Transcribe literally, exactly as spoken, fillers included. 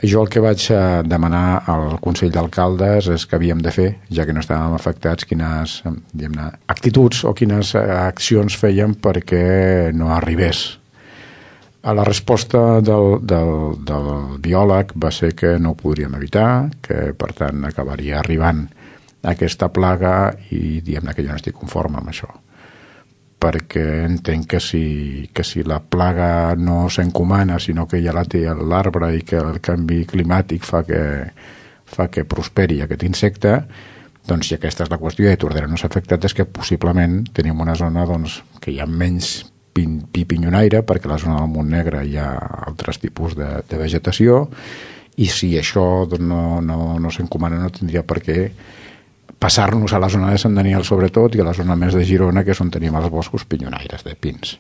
Jo el que vaig demanar al Consell d'Alcaldes és que havíem de fer, ja que no estàvem afectats, quines diguem-ne, actituds o quines accions fèiem perquè no arribés. A la resposta del, del, del biòleg va ser que no ho podríem evitar, que per tant acabaria arribant aquesta plaga i diguem-ne que jo no estic conforme amb això, perquè entenc que si, que si la plaga no s'encomana, sinó que ja la té l'arbre i que el canvi climàtic fa que, fa que prosperi aquest insecte, doncs si aquesta és la qüestió i Tordera no s'ha afectat, és que possiblement tenim una zona doncs, que hi ha menys pin, pi pinyonaire, perquè a la zona del Montnegre hi ha altres tipus de, de vegetació, i si això doncs, no, no, no s'encomana no tindria per què passar-nos a la zona de Sant Daniel sobretot i a la zona més de Girona, que és on tenim els boscos pinyonaires de pins.